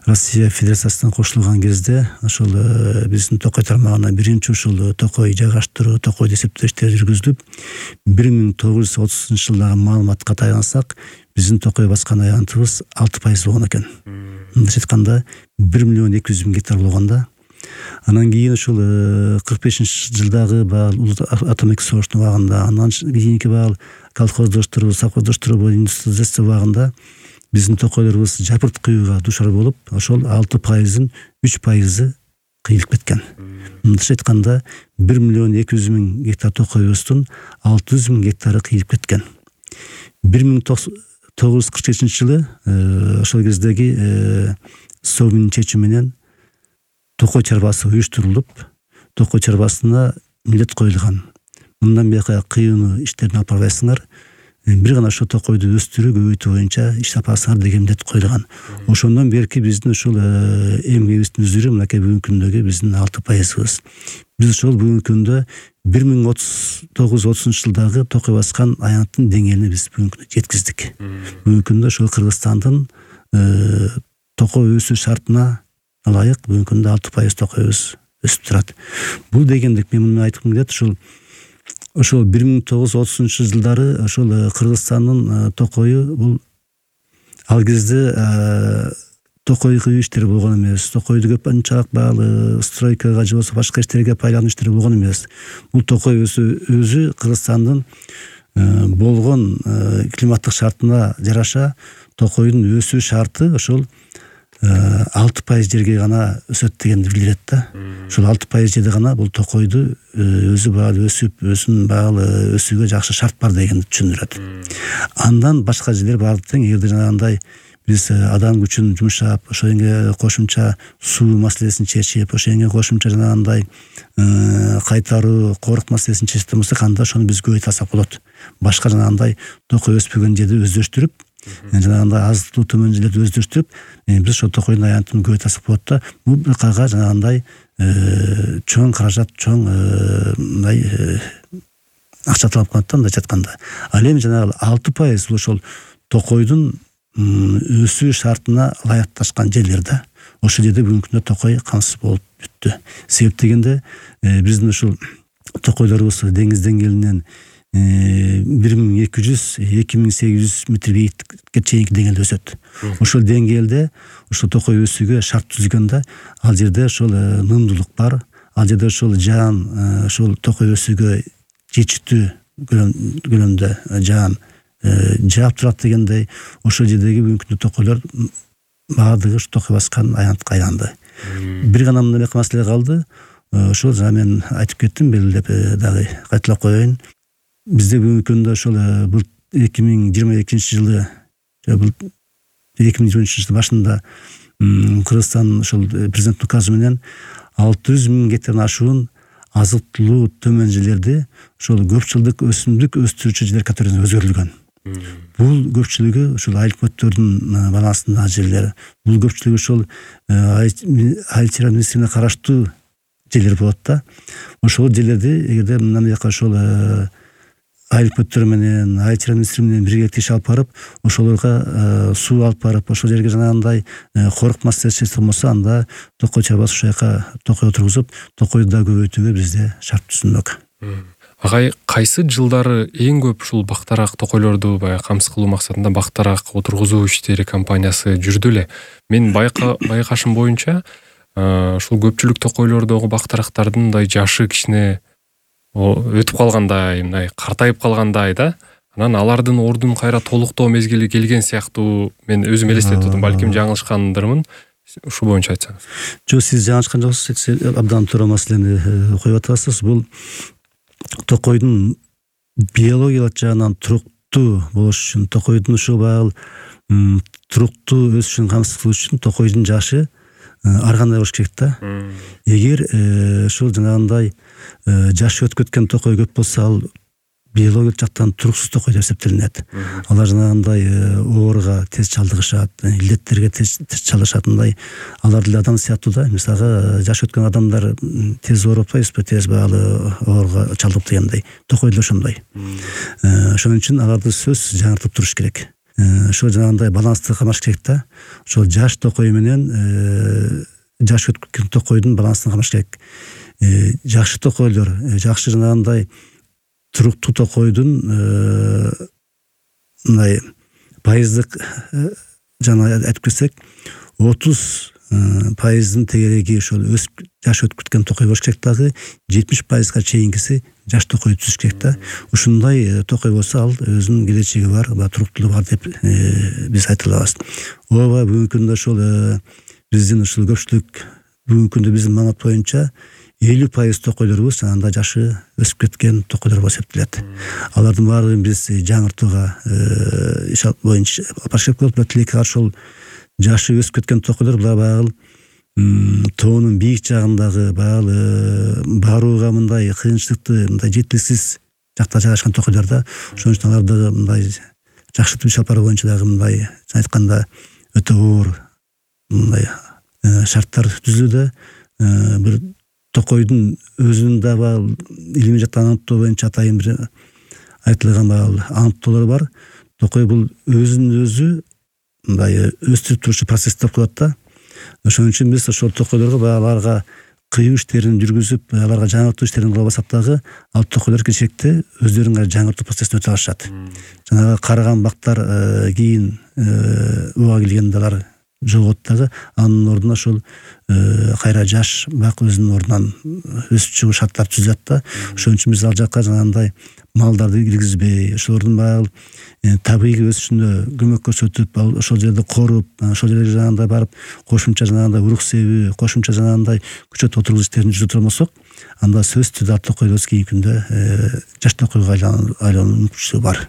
Россия Федерациясына кошулган кезде ошол биздин Токой тармагына биринчи ушул токой жайгаштыруу, токойду эсептөө иштери жүргүзүлүп, 1930 жылдагы маалыматка таянсак, биздин токой баскан аянтыбыз 6% болгон экен. Мындайча айтканда 1.200.000 гектар болгондо. Анан кийин ушул 45-жылдагы улуу атомдук согуштун убагында, андан кийинки колхоздоштуруу, совхоздоштуруу, индустриализация убагында биздин токойлорубуз жапырт кыюуга дуушар болуп, ошол 6%-ын 3% кыйылып кеткен. Мындайча айтканда 1.200.000 гектар токойубуздун 600.000 гектары кыйылып кеткен. 1947 жылы ошол кездеги Совмин чечими менен токой чарбасы уюштурулуп, токой чарбасына милдет коюлган. Мындан бияка кыюуну иштерин алып барбайсыңар, бир гана ошо токойду өстүрүү, көбөйтүү боюнча иш тапасыңар деген милдет коюлган. Ошондон берки биздин ушул эмгегибиздин үзүрү мынакей бүгүнкү күндөгү биздин 6%. Биз ошол бүгүнкү күндө 1930 жылдагы токой баскан аянттын деңгээлине биз бүгүнкү жеткиздик. Бүгүнкү күндө ошол Кыргызстандын токой өсүү шартына ылайык бүгүнкү күндө 6% токойубуз өсүп турат. Бул дегендик мен муну айткым келет, ошол 1930 жылдары ошол Кыргызстандын токою бул ал кезде токой кыюу иштери болгон эмес. Токойду көп анчалык баалы стройкага же болбосо башка иштерге пайлануу иштери болгон эмес. Бул токой өзү Кыргызстандын болгон климаттык шартына жараша токойдун өсүү шарты ошол 6% жерге гана өсөт дегенди билдирет да. Ошол 6% жерде гана бул токойду өзү баалы өсүп, өзүнүн баалы өсүүгө жакшы шарт бар дегенди түшүндүрөт. Андан башка жерлер баары тең. Эгерде жанагындай биз адам күчүн жумшап, ошоңо кошумча суу маселесин чечип, ошоңо кошумча жанагындай кайтаруу, корк маселесин чечип болсок, анда ошону биз көбөйтө алсак болот. Башка жанагындай токой өспөгөн жерди өздөштүрүп, жанагындай аздыктуу төмөн жерлерди өздөштүрүп, биз ошол токойдун аянтын көбөйтө алсак болот да. Бул бир кайга жанагындай чоң каражат, чоң мындай акча талап кылат да, мындайча айтканда. Ал эми жанагы 6% бул ошол токойдун өсүү шартына ылайыкташкан жерлер да. Ошол жерде бүгүнкү күндө токой камсыз болуп бүттү. Себеп дегенде биздин ушул токойлорубуз деңиз деңгээлинен 1200-2800 метр бийиктикке чейинки деңгээлде өсөт. Ошол деңгээлде ошол токой өсүүгө шарт түзүлгөндө ал жерде ошол нымдуулук бар. Ал жерде ошол жаан ошол токой өсүүгө жетиштүү көлөмдө жаан жаап турат дегендей, ошол жердеги бүгүнкү күндө токойлор баардыгы токой баскан аянтка айланды. Бир гана мындай маселе калды. Ошол жана мен айтып кеттим, белгилеп дагы кайталап коеюн. Бизде бүгүнкү күндө ошол бул 2022 жылы, бул 2023 жылдын башында Кыргызстан ошол президенттин указы менен 600.000 гектардан ашуун азыктуу төмөн жерлерди ошол көпчүлдүк өсүмдүк өстүрүүчү жерлер категориясына өзгөрүлгөн. Бул көпчүлүгү ошол айыл-көттөрдүн балансындагы жерлер. Бул көпчүлүгү ошол айыл чарба министрлигине караштуу жерлер болот да. Ошол жерлерди эгерде мындан бияка ошол айыл-көттөр менен, айыл чарба министрлиги менен биргеликте иш алып барып, ошолорго суу алып барып, ошол жерге жанагындай корк маселеси чечилген болсо, анда токой чарбасы ошол жака токой отургузуп, токойду да көбөйтүүгө бизде шарт түзүлмөк. Агай, кайсы жылдары эң көп ушул бактарак токойлорду баягы камсыз кылуу максатында бактарак отургузуу иштери кампаниясы жүрдү эле. Мен байкашым боюнча ушул көпчүлүк токойлордогу бактарактардын мындай жашы кичине өтүп калгандай, мындай картайып калгандай да. Анан алардын ордун кайра толуктоо мезгили келген сыяктуу мен өзүм элестетип турдум. Балким жаңылышкандырмын. Ушул боюнча айтсаңыз. Жок, сиз жаңылышкан жоксуз. Абдан туура маселени коюп атасыз. Бул токойдун биологиялык жагынан туруктуу болуш үчүн, токойдун ушул баягы туруктуу өсүшүн камсыз кылыш үчүн токойдун жашы ар кандай болуш керек да. Эгер ушул жанагындай жашы өтүп кеткен токой көп болсо, ал биологиялык жактан туруксуз токой деп эсептелинет. Алар жанагындай ооруга тез чалдыгышат, илдеттерге тез чалдыгышат. Мындай алар деле адам сыяктуу да. Мисалга жаш өткөн адамдар тез ооруп атпайбызбы, тез баалы ооруга чалдыгып дегендей. Токой деле ошондой. Ошон үчүн аларды сөзсүз жаңыртып туруш керек. Ошо жанагындай балансты камаш керек да. Ошол жаш токой менен жаш өткөн токойдун балансын камаш керек. Жакшы токойлор, жакшы жанагындай туруктуу токойдун мындай пайыздык жана айтып кетсек 30% тегереги ошол жаш өтүп кеткен токой болуш керек, дагы 70% чейинкиси жаш токой түзүш керек да. Ушундай токой болсо ал өзүнүн келечеги бар, туруктуулугу бар деп биз айта алабыз. Ооба, бүгүнкү күндө ошол биздин ушул көпчүлүк бүгүнкү күндө биздин маалымат боюнча 50% токойлорубуз анда жашы өсүп кеткен токойлор болуп эсептелет. Алардын баардыгын биз жаңыртууга иш боюнча баш керек болуп, тилекке каршы ошол жашы өсүп кеткен токойлор баягы тоонун бийик жагындагы барууга мындай кыйынчылыктуу, мындай жетиликсиз жакта жайгашкан токойлор да. Ошон үчүн аларды мындай жакшы түбү шалпары боюнча дагы мындай айтканда өтө оор мындай шарттар түзүлүүдө. Бир токойдун өзүнүн дагы илимий жактан аныктоо боюнча атайын бир айтылган аныктоолор бар. Токой бул өзүнүн өзү мындай өстүрүп туруучу процесс деп коет да. Ошон үчүн биз ошол токойлорго аларга кыюу иштерин жүргүзүп, аларга жаңыртуу иштерин кыла баштасак дагы, ал токойлор келечекте өздөрүнүн жаңыртуу процессин өтө алышат. Жанагы карыган бактар кийин убага келгенде алар жогот дагы, анын ордуна ошол кайра жаш бак өзүнүн ордунан өсүп чыгуу шарттар түзүлөт да. Ошон үчүн биз ал жакка жанагындай малдарды киргизбей, ошолордун баягы табигый өсүшүнө көмөк көрсөтүп, ошол жерде коруп, ошол жерге жанагындай барып кошумча жанагындай урук себүү, кошумча жанагындай күчөт отургуз иштерин жүргүзө турмасак, анда сөзсүз түрдө токойлор кийинки күндө жаш токойго айлануу мүмкүнчүлүгү бар.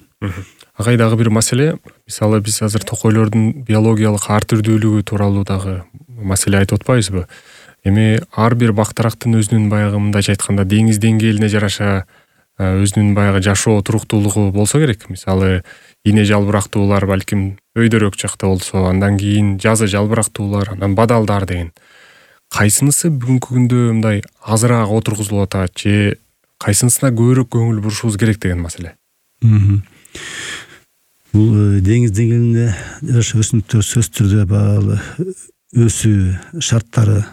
Агай дагы бир маселе, мисалы биз азыр токойлордун биологиялык ар түрдүүлүгү тууралуу дагы маселе айтып атпайбызбы? Эми ар бир бактырактын өзүнүн баягы мындайча айтканда деңиз деңгээлине жараша өзүнүн баягы жашоо туруктуулугу болсо керек. Мисалы ийне жалбырактуулар балким өйдөрөөк жакта болсо, андан кийин жазы жалбырактуулар, анан бадалдар деген. Кайсынысы бүгүнкү күндө мындай азыраак отургузулуп атат же кайсынысына көбүрөөк көңүл бурушубуз керек деген маселе. Бул деңиз деңгээлине жараша өсүмдүктөр сөзсүз түрдө өсүү шарттары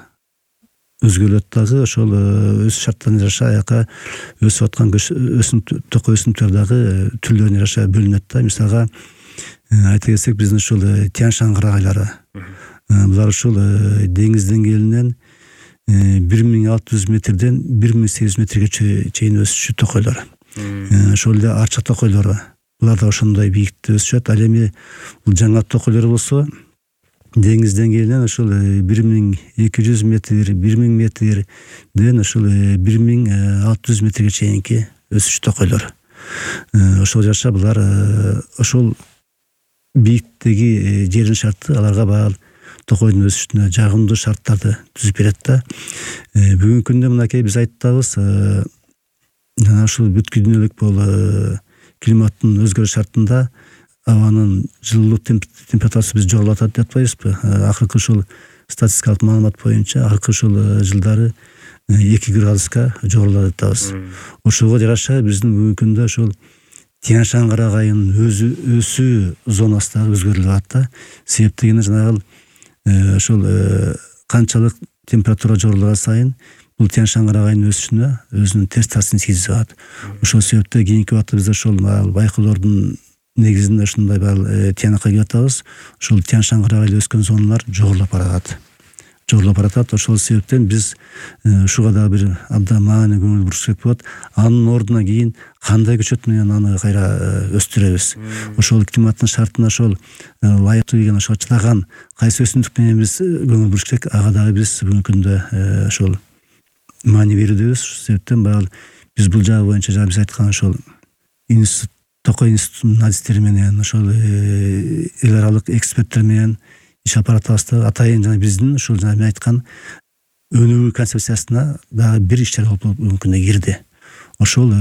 өзгөрүлөт дагы. Ошол өсүү шарттарына жараша аяка өсүп аткан токой өсүмдүктөр дагы түрлөрүнө жараша бөлүнөт да. Мисалга айта кетсек, биздин ушул Тянь-Шань кыргайлары, булар ушул деңиз деңгээлинен 1600 метрден 1800 метрге чейин өсүшү токойлор. Ошол эле арча токойлору, булар да ошондой бийиктикте өсүшөт. Ал эми бул жаңа токойлор болсо деңиз деңгээлинен ошол 1200 метр, 1000 метрден ошол 1600 метрге чейинки өсүш токойлор. Ошол жаша булар ошол бийиктиги жердин шарты аларга баал токойдун өсүшүнө жагымдуу шарттарды түзүп берет да. Бүгүнкү күндө мынакей биз айтабыз, жана ушул бүткүл дүйнөлүк бул климаттын өзгөрүш шартында абанын жылуулук температурасы биз жогорулап атат деп атпайбызбы? Акыркы ушул статистикалык маалымат боюнча акыркы ушул жылдары 2 градуска жогорулады деп атабыз. Ошого жараша биздин бүгүнкү күндө ушул Тянь-Шань кыргайынын өсүү зонасы дагы өзгөрүлүп атат да. Себеп дегенде жанагы ошол канчалык температура жогорулган сайын бул Тянь-Шань кыргайынын өсүшүнө өзүнүн терс таасирин тийгизип атат. Ошол себептен кийинки убакта биз ошол байкоолордун негизинде ушундай тиянакка келип атабыз. Ушул Тянь-Шань кыргайы өскөн зоналар жогорулап баратат. Ошол себептен биз ушуга дагы бир абдан маани көңүл буруш керек болот. Анын ордуна кийин кандай көчөт менен аны кайра өстүрөбүз? Ошол климаттын шартына ошол ылайыктуу келген, ошого чыдаган кайсы өсүмдүк менен биз көңүл буруш керек? Ага дагы биз бүгүнкү күндө ошол маани берүүбүз. Ошол себептен биз бул жагы боюнча биз айткан ошол Токой институтунун адистери менен, ошол эл аралык эксперттер менен иш алып баратабыз. Атайын жана биздин ушул мен айткан өнүгүү концепциясына дагы бир иштер болуп бүгүнкү күндө кирди. ошол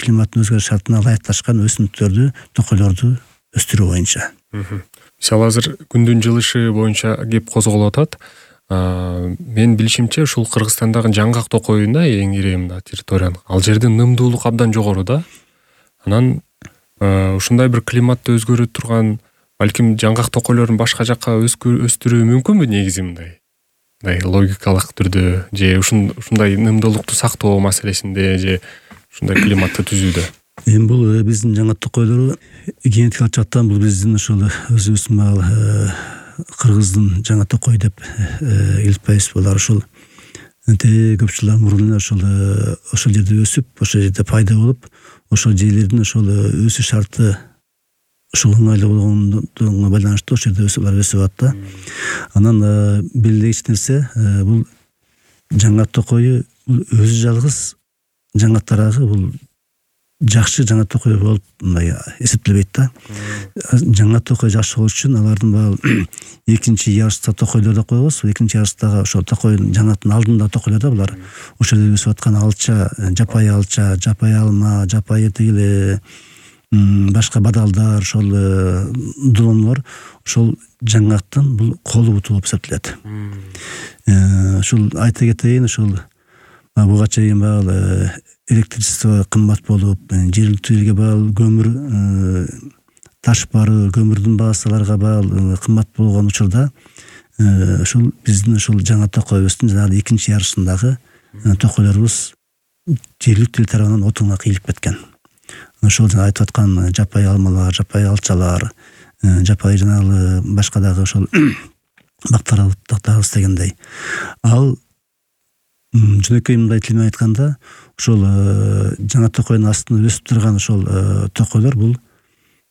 климаттын өзгөрүш шартына ылайыкташкан өсүмдүктөрдү, токойлорду өстүрүү боюнча. Мисалы азыр күндүн жылышы боюнча кеп козголуп атат. Мен билишимче ушул Кыргызстандагы жаңгак токойунда эң ири мына территорияны. Ал жерде нымдуулук абдан жогору да. Анан ушундай бир климатты өзгөрүп турган балким жаңгак токойлорун башка жакка өстүрүү мүмкүнбү негизи мындай логикалык түрдө же ушундай нымдуулукту сактоо маселесинде же ушундай климатты түзүүдө? Эми бул биздин жаңгак токойлору генетикалык жактан бул биздин ошол өзүбүздүн кыргыздын жаңа токой деп илиппайбыз. Булар ошол көп жылдар мурун ошол жерде өсүп, ошол жерде пайда болуп, ошол жерлердин ошол өсүш шарты ошол ыңгайлуу болгондугуна байланыштуу ошол жерде өсүп атат да. Анан белгилегич нерсе бул жаңгак токою бул өзү жалгыз жаңгак тарагы бул жакшы жаңгак токой болуп мындай эсептелбейт да. Жаңгак токой жакшы болуш үчүн алардын баары экинчи ярышта токойлор деп коебуз. Экинчи ярыштагы ошол токойдун жаңгактын алдында токойлор да булар. Ошол жерде өсүп аткан алча, жапайы алча, жапайы алма, жапайы тигил башка бадалдар, ошол долонлор ошол жаңгактын бул колу буту болуп эсептелет. Ушул айта кетейин, ушул буга чейин баягы электричество кымбат болуп, жергиликтүү элге баягы көмүр, таш бары, көмүрдүн баасы аларга баягы кымбат болгон учурда ушул биздин ушул жаңа токойбуздун жанагы экинчи ярышындагы токойлорубуз жергиликтүү эл тарабынан отунга кыйылып кеткен. Ошол жана айтып аткан жапайы алмалар, жапайы алчалар, жапайы жанагы башка дагы ошол бактарыбыз дегендей. Ал жөнөкөй мындай тил менен айтканда, ошол жаңа токойдун астында өсүп турган ошол токойлор бул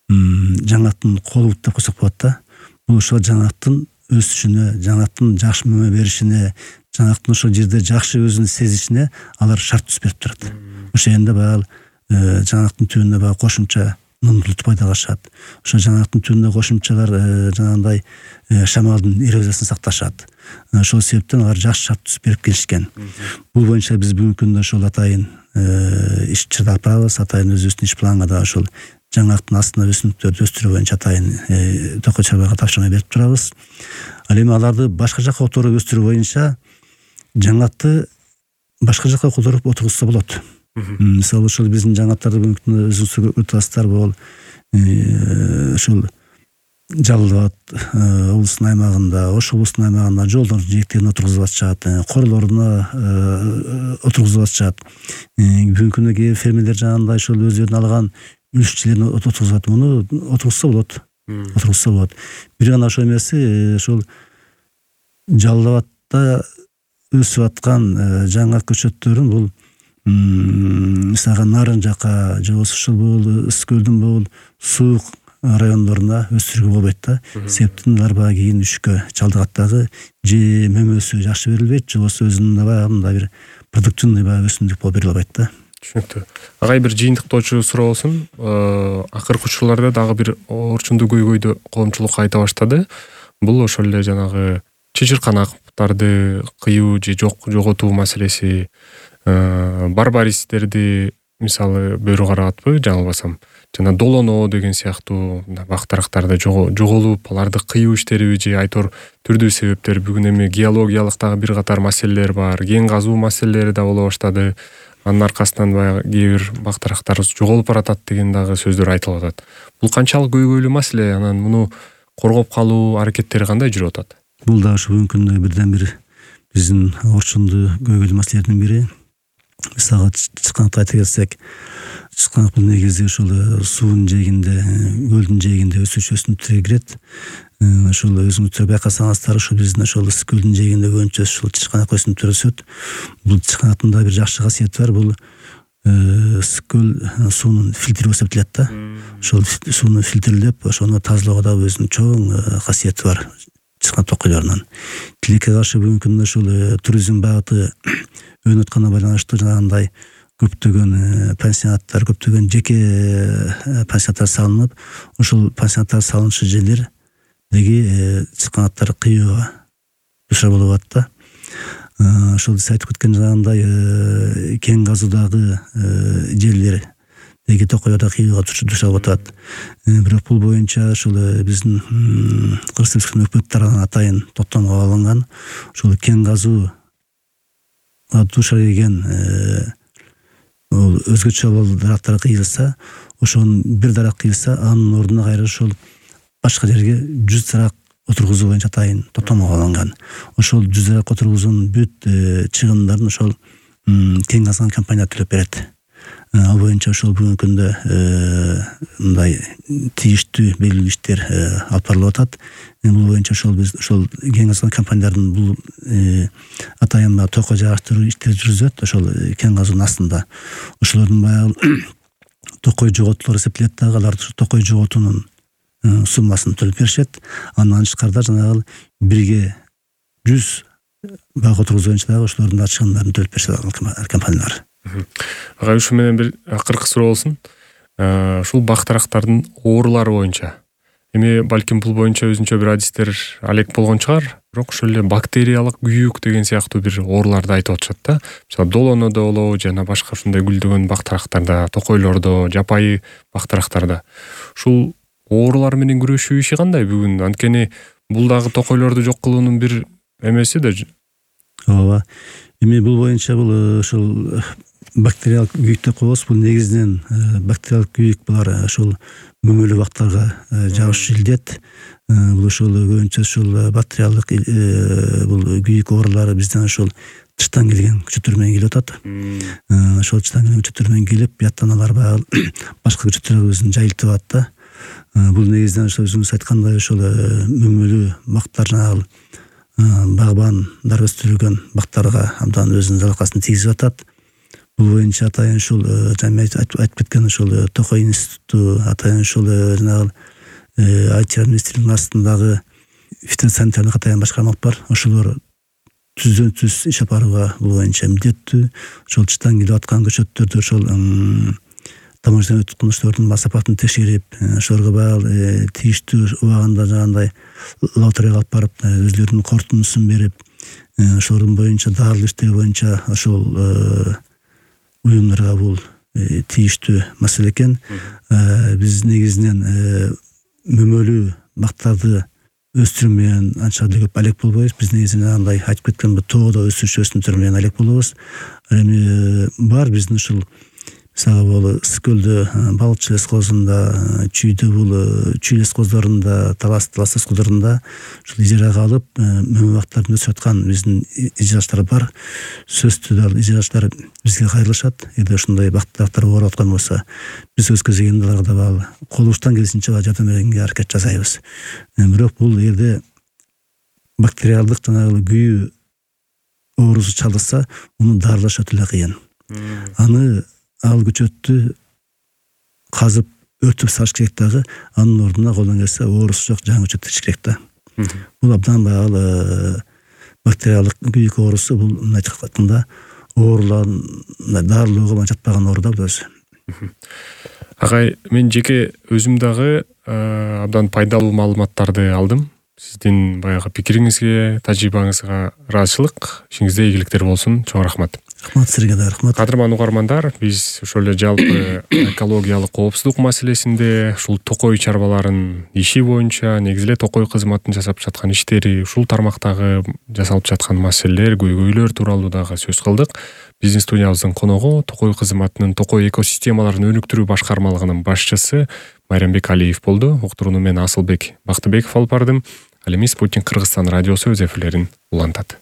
жаңгактын колу бут деп койсок болот да. Бул ошол жаңгактын өсүшүнө, жаңгактын жакшы мөмө беришине, жаңгактын ошол жерде жакшы өзүн сезишине алар шарт түзүп берип турат. Ошол жерде баягы жаңгактын түбүндө баягы кошумча нымдуулукту пайдага ашат. Ошол жаңгактын түбүндө кошумчалар жанагындай шамалдын эрозиясын сакташат. Ошол себептен алар жакшы шарт түзүп берип келишкен. Бул боюнча биз бүгүнкү күндө ошол атайын иш чыгарып барабыз. Атайын өзүбүздүн иш планга да ошол жаңгактын астына өсүмдүктөрдү өстүрүү боюнча атайын токой чарбага тапшырма берип турабыз. Ал эми аларды башка жакка которуп өстүрүү боюнча жаңгакты башка жакка которуп отургузса болот. Мисалы ошол биздин жаңгактарды бүгүнкү күндө өзүңүз көрүп атасыздар, бул ошол Жалал Абад облусунун аймагында, Ош облусунун аймагында жолдордун жээктерине отургузуп атышат, королоруна отургузуп атышат. Бүгүнкү күндө кээ фермерлер жанагындай ошол өздөрүнүн алган үлүшчүлөрүн отургузат. Муну отургузса болот. Бир гана ошол эмеси, ошол Жалал Абадда өсүп аткан жаңгак көчөттөрүн бул мисалга Нарын жака же болбосо ушул бул Ысык көлдүн бул суук райондоруна өстүрүүгө болбойт да. Себептен алар баягы кийин үшкө чалдыгат дагы, же мөмөсү жакшы берилбейт, же болбосо өзүнүн баягы мындай бир продуктивный баягы өсүмдүк болуп бериле албайт да. Түшүнүктүү. Агай бир жыйынтыктоочу суроо болсун. Акыркы учурларда дагы бир орчундуу көйгөйдү коомчулук айта баштады. Бул ошол эле жанагы чычырканактарды кыюу же жоготуу маселеси, барбаристерди мисалы бөрү карабатпы, жаңылбасам. Жана долоно деген сыяктуу бактарактарды жоголуп, аларды кыюу иштериби же айтор түрдүү себептер. Бүгүн эми геологиялык дагы бир катар маселелер бар, кен казуу маселелери да боло баштады. Анын аркасынан баягы кээ бир бактарактар жоголуп баратат деген дагы сөздөр айтылып атат. Бул канчалык көйгөйлүү маселе? Анан муну коргоп калуу аракеттери кандай жүрүп атат? Бул да ушу бүгүнкү күндө бирден бир биздин орчундуу көйгөйлүү маселелердин бири. Мисалга чычканакты айта келсек, чычканак бул негизи ошол суунун жээгинде, көлдүн жээгинде өсүүчү өсүмдүктөргө кирет. Ошол өсүмдүктөр байкасаңыздар, ошол биздин ошол Ысык көлдүн жээгинде көбүнчө ушул чычканак өсүмдүктөр өсөт. Бул чычканактын да бир жакшы касиети бар. Бул Ысык көл суунун фильтри болуп эсептелет да. Ошол сууну фильтрлеп, ошону тазалоого да өзүнүн чоң касиети бар чычканак токойлорунун. Тилекке каршы бүгүнкү күндө ушул туризм багыты өнүп атканына байланыштуу жанагындай көптөгөн пансионаттар, көптөгөн жеке пансионаттар салынып, ошол пансионаттар салынышы жерлердеги чычканактар кыюуга душар болуп атат да. ошол сиз айтып кеткен жанагындай кен казуудагы жерлер деги токойлордо кыйылга душар атат. Бирок бул боюнча ошол биздин Кыргыз Республикасынын өкмөт тарабынан атайын токтомго алынган. Ошол кен казуу душар келген өзгөчө дарактар кыйылса, ошонун бир дарак кыйылса, анын ордуна кайра ошол башка жерге 100 дарак отургузуу боюнча атайын токтомго алынган. Ошол 100 дарак отургузуунун бүт чыгымдарын ошол кен казган компания төлөп берет. Ал боюнча ошол бүгүнкү күндө мындай тийиштүү белгилүү иштер алып барылып атат. Бул боюнча биз ошол кен казган компаниялардын бул атайын токой жааштыруу иштери жүргүзөт. Ошол кен казуунун астында ошолордун баягы токой жоготуулар эсептелет дагы, алар токой жоготуунун суммасын төлөп беришет. Андан тышкарыда жанагы бирге 100 бак отургузуу боюнча дагы ошолордун чыгымдарын төлөп беришет компаниялар. Агай, ушу менен бир акыркы суроо болсун. Ушул бактарактардын оорулары боюнча эми балким бул боюнча өзүнчө бир адистер алек болгон чыгар, бирок ошол эле бактериялык күйүк деген сыяктуу бир ооруларды айтып атышат да. Мисалы долонодо болобу, жана башка ушундай гүлдөгөн бактарактарда, токойлордо, жапайы бактарактарда ушул оорулар менен күрөшүү иши кандай бүгүн? Анткени бул дагы токойлорду жок кылуунун бир эмеси да. Ооба. Эми бул боюнча бул ошол бактериялык күйүк деп коебуз. Бул негизинен бактериялык күйүк булар ошол мөмөлүү бактарга жабышып илдет. Бул ошол көбүнчө ошол бактериялык бул күйүк оорулары бизден ошол тыштан келген күчөттөр менен келип атат. Ошол тыштан келген күчөттөр менен келип, бияттан алар баягы башка күчөттөргө өзүн жайылтып атат да. Бул негизинен ошол өзүңүз айткандай ошол мөмөлүү бактар жанагы багбандар өстүрүлгөн бактарга абдан өзүнүн залалкасын тийгизип атат. Бул боюнча атайын ушул жана айтып кеткен ушул Токой институту, атайын ушул жанагы Айтчар министрлигинин астындагы фитосанитарлык атайын башкарма бар. Ошолор түздөн түз иш алып барууга бул боюнча милдеттүү. Ошол тыштан келип аткан көчөттөрдү ошол таможнядан өтүп кылыштардын сапатын текшерип, ошолорго баягы тийиштүү убагында жанагындай лабораторияга алып барып, өзлөрүнүн корутундусун берип, ошолордун боюнча дарылуу иштери боюнча ошол уюмдарга бул тийиштүү маселе экен. Биз негизинен мөмөлүү бактарды өстүрүү менен анча да көп алек болбойбуз. Биз негизинен андай айтып кеткен тоодо өсүүчү өсүмдүктөр менен алек болобуз. Эми бар биздин ушул мисалы бул Ысык-Көлдө, Балыкчы лескозунда, Чүйдө бул Чүй лескоздорунда, Талас лескоздорунда ушул ижарага алып мөмө бактарды өсүрүп аткан биздин ижарачылар бар. Сөзсүз дагы ижарачылар бизге кайрылышат. Эгер ушундай бактар ооруп аткан болсо, биз өз көзөйгөндө аларга дагы колубуздан келишинче жардам берүүгө аракет жасайбыз. Бирок бул жерде бактериалдык жанагы күйүү оорусу чалдырса, муну дарылаш өтө эле кыйын. Аны ал көчөттү казып өртүп салыш керек дагы, анын ордуна колдон келсе оорусу жок жаңы көчөт ичиш керек да. Бул абдан баягы бактериялык күйүк оорусу, бул мындай айтканда оорулардын дарылоого жатпаган оору да бул өзү. Агай, мен жеке өзүм дагы абдан пайдалуу маалыматтарды алдым. Сиздин баягы пикириңизге, тажрыйбаңызга ыраазычылык, ишиңизде ийгиликтер болсун. Чоң рахмат. Рахмат сизге да рахмат. Кадырман угармандар, биз ошол эле жалпы экологиялык коопсуздук маселесинде, ушул токой чарбаларын иши боюнча, негизи эле токой кызматтын жасап жаткан иштери, ушул тармактагы жасалып жаткан маселелер, көйгөйлөр тууралуу дагы сөз кылдык. Биздин студиябыздын коногу токой кызматынын токой экосистемаларын өнүктүрүү башкармалыгынын башчысы Майрамбек Алиев болду. Уктурууну мен Асылбек Бактыбеков алып бардым. Ал эми Спутник Кыргызстан радиосу өз эфирлерин улантат.